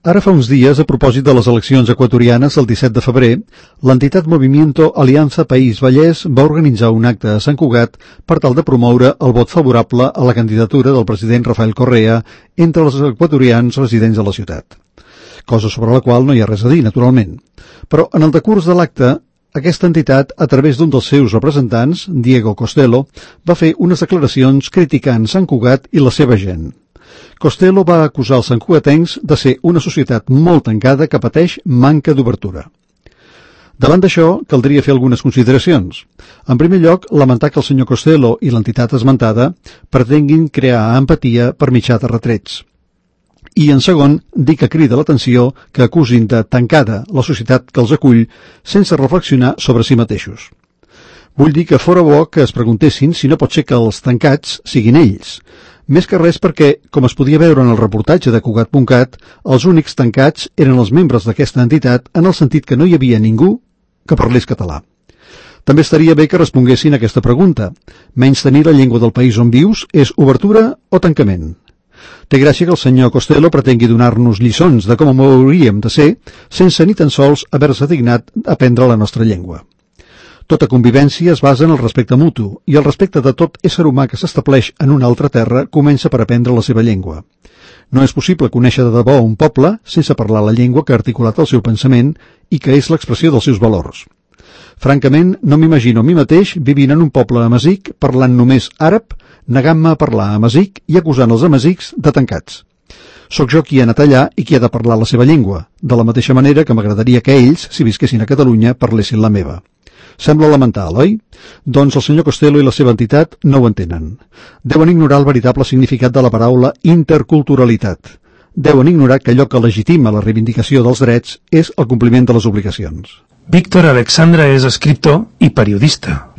Ara fa uns dies, a propòsit de les eleccions equatorianes del 17 de febrer, l'entitat Movimiento Alianza País Vallès va organitzar un acte a Sant Cugat per tal de promoure el vot favorable a la candidatura del president Rafael Correa entre els equatorians residents de la ciutat. Cosa sobre la qual no hi ha res a dir, naturalment. Però en el decurs de l'acte, aquesta entitat, a través d'un dels seus representants, Diego Costello, va fer unes declaracions criticant Sant Cugat i la seva gent. Costello va acusar els santcugatencs de ser una societat molt tancada que pateix manca d'obertura. Davant d'això, caldria fer algunes consideracions. En primer lloc, lamentar que el senyor Costello i l'entitat esmentada pretenguin crear empatia per mitjà de retrets. I, en segon, dir que crida l'atenció que acusin de tancada la societat que els acull sense reflexionar sobre si mateixos. Vull dir que fora bo que es preguntessin si no pot ser que els tancats siguin ells. Més que res perquè, com es podia veure en el reportatge de Cugat.cat, els únics tancats eren els membres d'aquesta entitat en el sentit que no hi havia ningú que parlés català. També estaria bé que responguessin a aquesta pregunta. Menystenir la llengua del país on vius és obertura o tancament? Té gràcia que el senyor Costello pretengui donar-nos lliçons de com hauríem de ser sense ni tan sols haver-se dignat aprendre la nostra llengua. Tota convivència es basa en el respecte mutu, i el respecte de tot ésser humà que s'estableix en una altra terra comença per aprendre la seva llengua. No és possible conèixer de debò un poble sense parlar la llengua que ha articulat el seu pensament i que és l'expressió dels seus valors. Francament, no m'imagino a mi mateix vivint en un poble amazic parlant només àrab, negant-me a parlar amazic i acusant els amazics de tancats. Soc jo qui ha anat allà i qui ha de parlar la seva llengua, de la mateixa manera que m'agradaria que ells, si visquessin a Catalunya, parlessin la meva. Sembla elemental, oi? Doncs el senyor Costello i la seva entitat no ho entenen. Deuen ignorar el veritable significat de la paraula interculturalitat. Deuen ignorar que allò que legitima la reivindicació dels drets és el compliment de les obligacions. Víctor Alexandra és escriptor i periodista.